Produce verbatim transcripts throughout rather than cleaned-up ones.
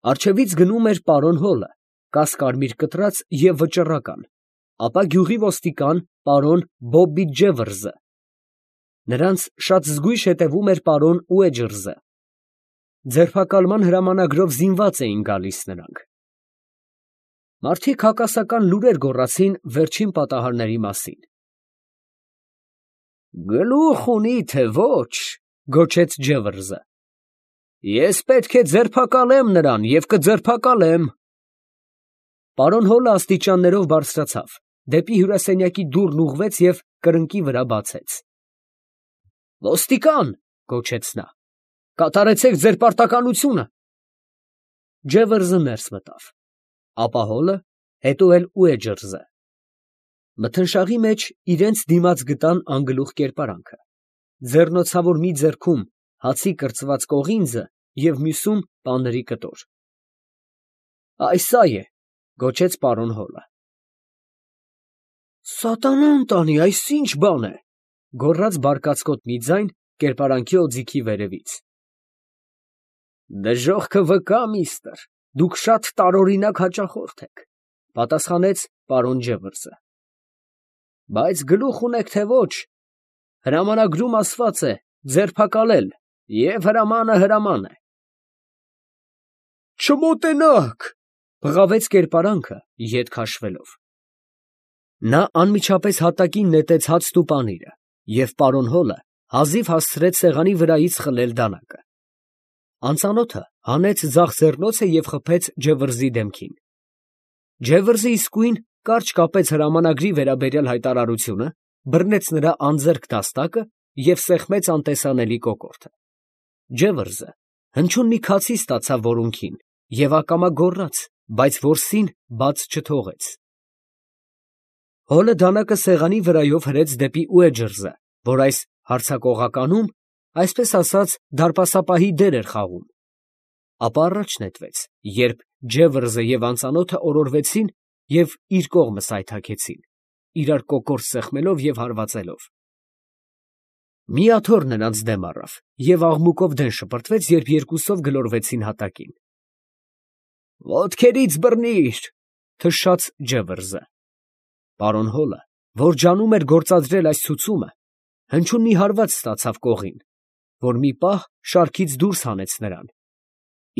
Առջևից գնում էր պարոն Հոլը, կասկարմիր կտրած և վճռական, ապա գյուղի ոստիկան պարոն Բոբի֊Ջևրզը. նրանց շատ զգույշ հետևում էր պարոն Ուեջըրզը. ձերբակալման հրամանագրով զինված էին գալիս նրանք։ Մարդիկ հակասական լուրեր գոռացին վերջին պատահարների մասին։ «Գլուխ ունի, թե ոչ», գոչեց Ջևրզը։ «Ես պետք է ձերբակալեմ նրան և կձերբակալեմ»։ Պարոն Հոլը աստիճաններով բարձրացավ, դեպի հյուրասենյակի դուռն ուղղվեց և կրկնակի վրա բացեց։ «Ոստիկան», գոչեց նա, «կատարեցեք ձեր պարտականությունը»։ Ջևրզը ներս մտավ, ապա Հոլը, հետո էլ Ուեջըրզը։ Մթնշաղի մեջ իրանց դիմաց գտան անգլուխ կերպարանքը, ձեռնոցավոր մի ձեռքում հացի կրծված կողինձը և մյուսում պանրի կտոր։ «Այս սա է», գոչեց պարոն Հոլը։ «Սատանան տանի, այս ի՞նչ բան է», գոռաց բարկացկոտ մի ձայն կերպարանքի օձիքի վերևից։ «Դժոխքը վկա, միստր, դուք շատ տարօրինակ հաճախորդ եք», պատասխանեց պարոն Ջևրզը։ «Բայց գլուխ ունեք, թե ոչ, հրամանագրում ասված է ձերբակալել, և հրամանը հրաման է»։ «Չմոտենաք», բղավեց կերպարանքը, ետ քաշվելով։ Նա անմիջապես հատակին նետեց հացն ու պանիրը, և պարոն Հոլը հազիվ հասցրեց սեղանի վրայից խլել դանակը։ Անծանոթը հանեց ձախ ձեռնոցը և խփեց Ջևրզի դեմքին։ Ջևրզը իսկույն կարճ կապեց հրամանագրի վերաբերյալ հայտարարությունը, բռնեց նրա անձեռք դաստակը և սեղմեց անտեսանելի կոկորդը։ Ջևրզը հնչյուն մի քացի ստացավ որունքին և ակամա գոռաց, բայց որսին բաց չթողեց։ Հոլը դանակը սեղանի վրայով հրեց դեպի Ուեջըրզը, որ այս հարձակողականում, այսպես ասած, դարպասապահի դեր էր խաղում, ապա առաջ նետվեց, երբ Ջևրզը և անծանոթը օրորվեցին և իր կողմը սայթաքեցին, իրար կոկորդ սեղմելով և հարվածելով։ Մի աթոռ նրանց դեմ առավ և աղմուկով դեն շպրտվեց, երբ երկուսով գլորվեցին հատակին։ «Ոտքերից բռնի՛ր», թշաց Ջևրզը։ Պարոն Հոլը, որ ջանում էր գործադրել այս ցուցումը, հնչյուն մի հարված ստացավ կողին, որ մի պահ շարքից դուրս հանեց նրան,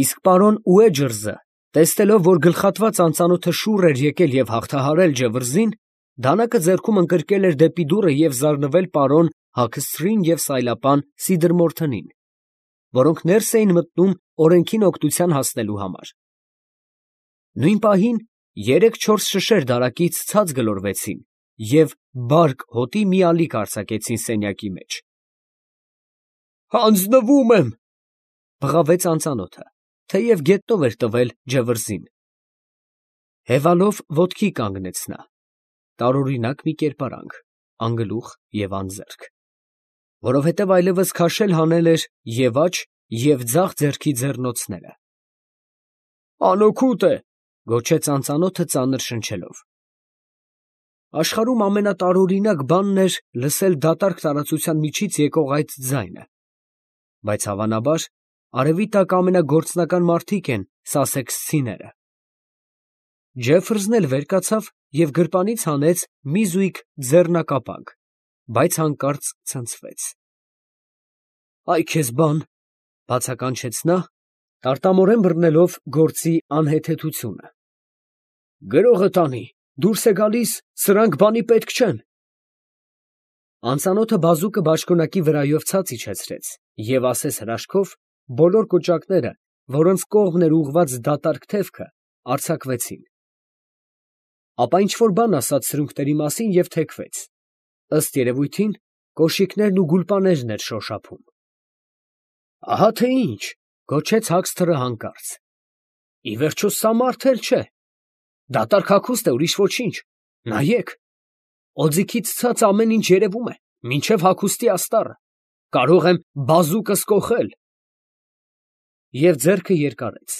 իսկ պարոն Ուեջըրզը, տեսնելով, որ գլխատված անծանոթը շուռ էր եկել և հաղթահարել Ջևրզին, դանակը ձեռքում ընկրկել էր դեպի դուռը և զարնվել պարոն Հաքսթրին և սայլապան Սիդրմորթնին, որոնք ներս էին մտնում օրենքին օգնության հասնելու համար։ Նույն պահին երեք֊չորս շշեր դարակից ցած գլորվեցին և բարկ հոտի մի ալիք արձակեցին սենյակի մեջ։ «Հանձնվում եմ», բղավեց անծանոթը, թեև գետնով էր տվել Ջևրզին։ Հևալով ոտքի կանգնեց նա, տարօրինակ մի կերպարանք, անգլուխ և անձեռք, որովհետև այլևս քաշել հանել էր և աջ և ձախ ձեռքի ձեռնոցները։ «Անօգուտ է», գոչեց անծանոթը ծանր շնչելով։ Աշխարհում ամենատարօրինակ բանն էր լսել դատարկ տարածության միջից եկող այդ ձայնը, բայց հավանաբար արևի տակ ամենագործնական մարդիկ են սասեքսցիները։ Ջեֆրզն էլ վեր կացավ և գրպանից հանեց մի զույգ ձեռնակապանք, բայց հանկարծ ցնցվեց։ «Այ քեզ բան», բացականչեց նա, տարտամորեն բռնելով գործի անհեթեթությունը։ «Գրողը տանի, դուրս է գալիս, սրանք բանի պետք չեն»։ Անծանոթը բազուկը բաճկոնակի վրայով ցած իջեցրեց և ասես հրաշքով բոլոր կոճակները, որոնց կողմն էր ուղղված դատարկ թևքը, արձակվեցին։ Ապա ինչ֊որ բան ասաց սրունքների մասին և թեքվեց, ըստ երևույթին, կոշիկներն ու գուլպաներն էր շոշափում։ «Ահա թե ինչ», գոչեց Հաքսթրը հանկարծ, «ի վերջո սա մարդ էլ չէ, դատարկ հագուստ է, ուրիշ ոչինչ, նայեք, օձիքից ցած ամեն ինչ երևում է, մինչև հագուստի աստառը, կարող եմ բազուկս կոխել»։ Եվ ձեռքը երկարեց,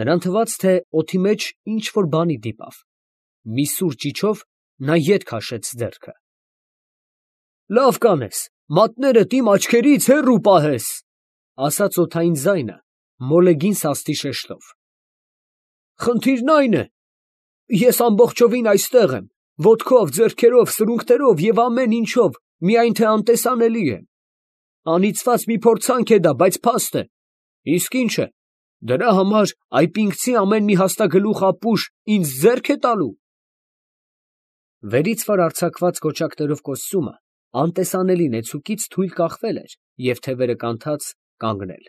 նրան թվաց, թե օդի մեջ ինչ֊որ բանի դիպավ, մի սուր ճիչով նա ետ քաշեց ձեռքը։ «Լավ կանես, մատներդ իմ աչքերից հեռու պահես», ասաց օդային ձայնը մոլեգին սաստի շեշտով։ խնդիրն այն է, ես ամբողջովին այստեղ եմ, ոտքով, ձեռքերով, սրունքներով և ամեն ինչով, միայն թե անտեսանելի եմ։ Անիծված մի փորձանք է դա, բայց փաստ է։ Իսկ ի՞նչ է, դրա համար այպինքցի ամեն մի հաստագլուխ ապուշ ինձ ձեռք է տալու։ Վերից վար արձակված կոճակներով կոստյումը անտեսանելի նեցուկից թույլ կախվել էր և թևերը կանթած կանգնել։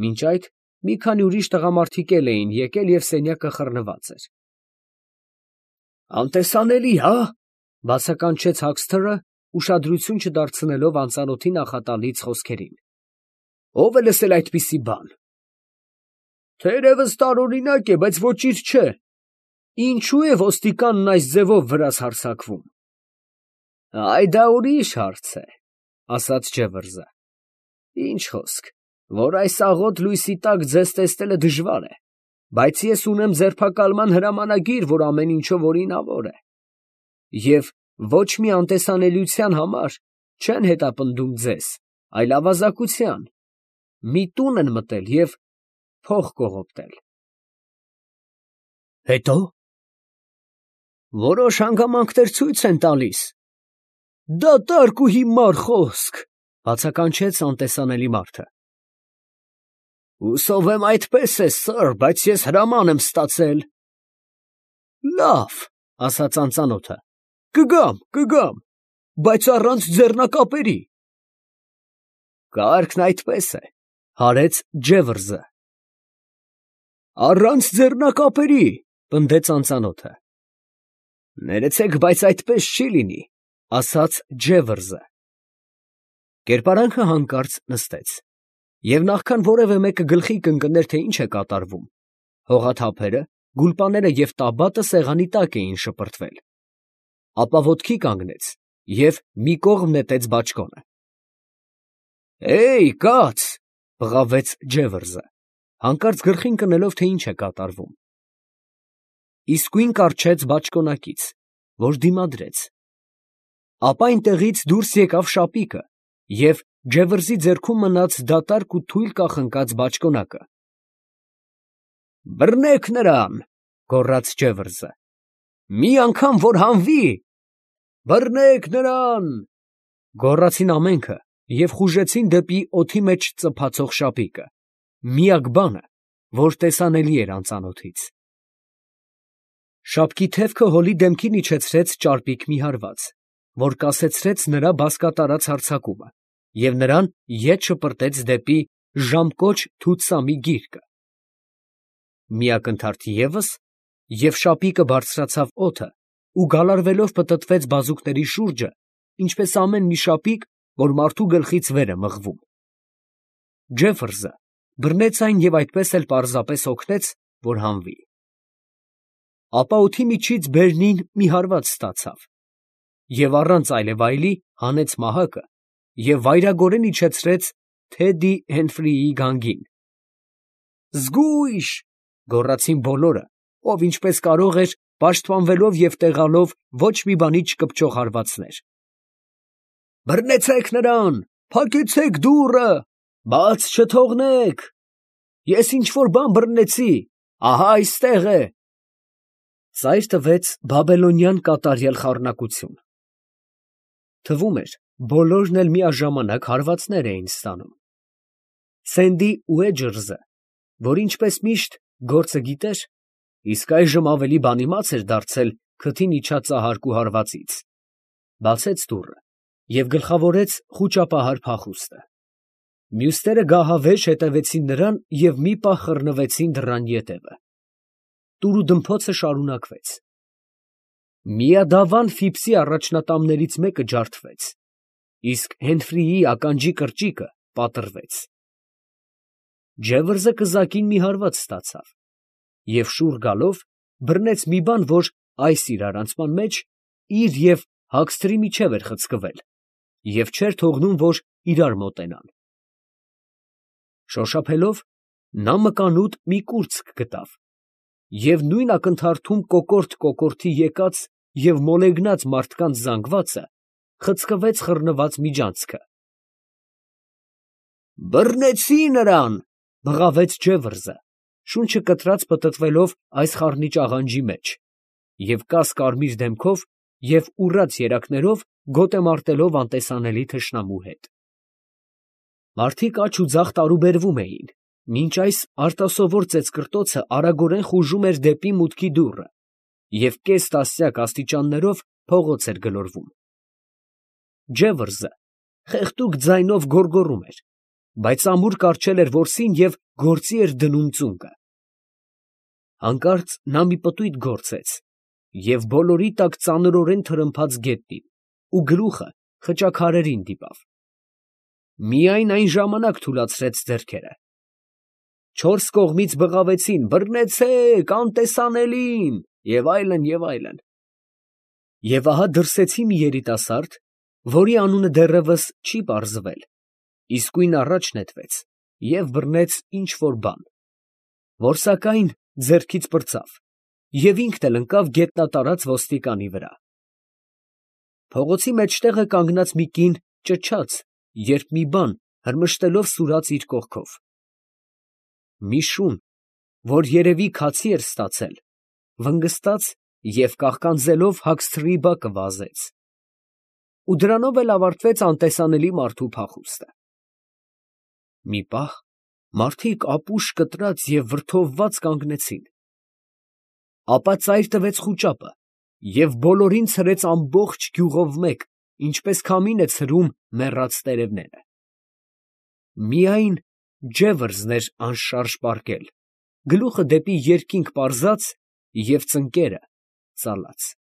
Մինչ այդ մի քանի ուրիշ տղամարդիկ էլ էին եկել և սենյակը խռնված էր։ Անտեսանելի, հա՞, բացականչեց Հաքսթերը, ուշադրություն չդարձնելով անծանոթի նախատալից խոսքերին։ Ո՞վ է լսել այդպիսի բան։ Թերևս տարօրինակ է, բայց ոչինչ չէ։ Ինչո՞ւ է ոստիկանն այս ձևով վրաս հարձակվում։ Այ դա ուրիշ հարց է, ասաց Ջևրզը։ Ինչ խոսք, որ այս աղոտ լույսի տակ ձեզ տեսնելը դժվար է, բայց ես ունեմ ձերբակալման հրամանագիր, որ ամեն ինչով օրինավոր է, և ոչ մի անտեսանելիության համար չեն հետապնդում ձեզ, այլ ավազակության, մի տուն են մտել և փող կողոպտել։ Հետո՞։ Որոշ հանգամանքներ ցույց են տալիս։ Դատարկ ու հիմար խոսք, բացականչեց անտեսանելի մարդը։ Հուսով եմ այդպես է, սըր, բայց ես հրաման եմ ստացել։ Լավ, ասաց անծանոթը, կգամ, կգամ, բայց առանց ձեռնակապերի։ Կարգն այդպես է, հարեց Ջևրզը։ Առանց ձեռնակապերի, պնդեց անծանոթը։ Ներեցեք, բայց այդպես չի լինի, ասաց Ջևրզը։ Կերպարանքը հանկարծ նստեց, և նախքան որևէ մեկը գլխի կընկներ, թե ինչ է կատարվում, հողաթափերը, գուլպաները և տաբատը սեղանի տակ էին շպրտվել, ապա ոտքի կանգնեց և մի կողմ նետեց բաճկոնը։ Է՜յ, կաց, բղավեց Ջևրզը, հանկարծ գլխին կնելով, թե ինչ է կատարվում։ Իսկույն կառչեց բաճկոնակից, որ դիմադրեց, ապա այնտեղից դուրս եկավ շապիկը և Ջևրզի ձեռքում մնաց դատարկ ու թույլ կախնկած բաճկոնակը։ Բռնեք նրան, գոռաց Ջևրզը, մի անգամ որ հանվի։ Բռնեք նրան, գոռացին ամենքը և խուժեցին դեպի օդի մեջ ծփացող շապիկը, միակ բանը, որ տեսանելի էր անծանոթից։ Շապկի թևքը հոլի դեմքին իջեցրեց ճարպիկ մի հարված, որ կասեցրեց նրա բազկատարած հարձակումը, և նրան ետ շպրտեց դեպի ժամկոչ թութսամի գիրկը։ Մի ակնթարթ ևս, և շապիկը բարձրացավ օդը ու գալարվելով պտտվեց բազուկների շուրջը, ինչպես ամեն մի շապիկ, որ մարդու գլխից վեր է մղվում։ Ջևրզը բռնեց այն և այդպես էլ պարզապես օգնեց, որ հանվի։ Ապա օդի միջից բերնին մի հարված ստացավ և առանց այլևայլի հանեց մահակը և վայրագորեն իջեցրեց Թեդի Հենֆրիի գանգին։ Զգույշ, գոռացին բոլորը, ով ինչպես կարող էր, պաշտպանվելով և տեղալով ոչ մի բանի չկպչող հարվածներ։ Բռնեցեք նրան, փակեցեք դուռը, բաց չթողնեք, ես ինչ֊որ բան բռնեցի, ահա այստեղ է։ Ծայր տվեց բաբելոնյան կատարյալ խառնակություն։ Թվում էր, բոլորն էլ միաժամանակ հարվածներ էին ստանում։ Սենդի Ուեջըրզը, որ ինչպես միշտ գործը գիտեր, իսկ այժմ ավելի բանիմաց էր դարձել քթին իջած ծահարկու հարվածից, բացեց դուռը և գլխավորեց խուճապահար փախուստը։ Մյուսները գահավեժ հետևեցին նրան և մի պահ խռնվեցին դռան ետևը։ Տուրուդմփոցը շարունակվեց։ Միադավան Ֆիփսի առաջնատամներից մեկը ջարդվեց, իսկ Հենֆրիի ականջի կրճիկը պատռվեց։ Ջևրզը կզակին մի հարված ստացավ և շուռ գալով բռնեց մի բան, որ այս իրարանցման մեջ իր և Հաքսթրի միջև էր խցկվել և չէր թողնում, որ իրար մոտենան։ Շոշափելով նա մկանուտ մի կուրծք գտավ և նույն ակնթարթում կոկորդ կոկորդի եկած և մոլեգնած մարդկանց զանգվածը խցկվեց խռնված միջանցքը։ Բռնեցի նրան, բղավեց Ջևրզը, շունչը կտրած պտտվելով այս խառնիչ աղանջի մեջ, և կաս կարմիր դեմքով և ուռած երակներով գոտ է մարտելով անտեսանելի թշնամու հետ։ Մարդիկ աջ ու ձախ տարուբերվում էին, մինչ այս արտասովոր ծեծկռտոցը արագորեն խուժում էր դեպի մուտքի դուռը և կես տասնյակ աստիճաններով փողոց էր գլորվում։ Ջևրձը խեղդուկ ձայնով գոռգոռում էր, բայց ամուր կառչել էր որսին և գործի էր դնում ծունկը։ Հանկարծ նա մի պտույտ գործեց և բոլորի տակ ծանրորեն թրմփաց գետնին ու գլուխը խճաքարերին դիպավ. միայն այն ժամանակ թուլացրեց ձեռքերը։ Չորս կողմից բղավեցին. «Բռնեցե՛ք, անտեսանելին» և այլն, և այլն… Եվ ահա դրսեցի մի երիտասարդ, որի անունը դեռևս չի պարզվել, իսկույն առաջ նետվեց և բռնեց ինչ֊որ բան, որ սակայն ձեռքից պրծավ և ինքն էլ ընկավ գետնատարած ոստիկանի վրա… Փողոցի մեջտեղը կանգնած մի կին ճչաց, երբ մի բան հրմշտելով սուրաց իր կողքով… Մի շուն, որ երևի քացի էր ստացել, վնգստաց և կաղկանձելով հագստրի բակը վազեց… ու դրանով էլ ավարտվեց անտեսանելի մարդու փախուստը… Մի պահ մարդիկ ապուշ կտրած և վրդովված կանգնեցին… Ապա ծայր տվեց խուճապը և բոլորին ցրեց ամբողջ գյուղով մեկ, ինչպես քամին է ցրում մեռած տերևները… Միայն Ջևրձն էր անշարժ պառկել, գլուխը դեպի երկինք պարզած և ծնկները ծալած…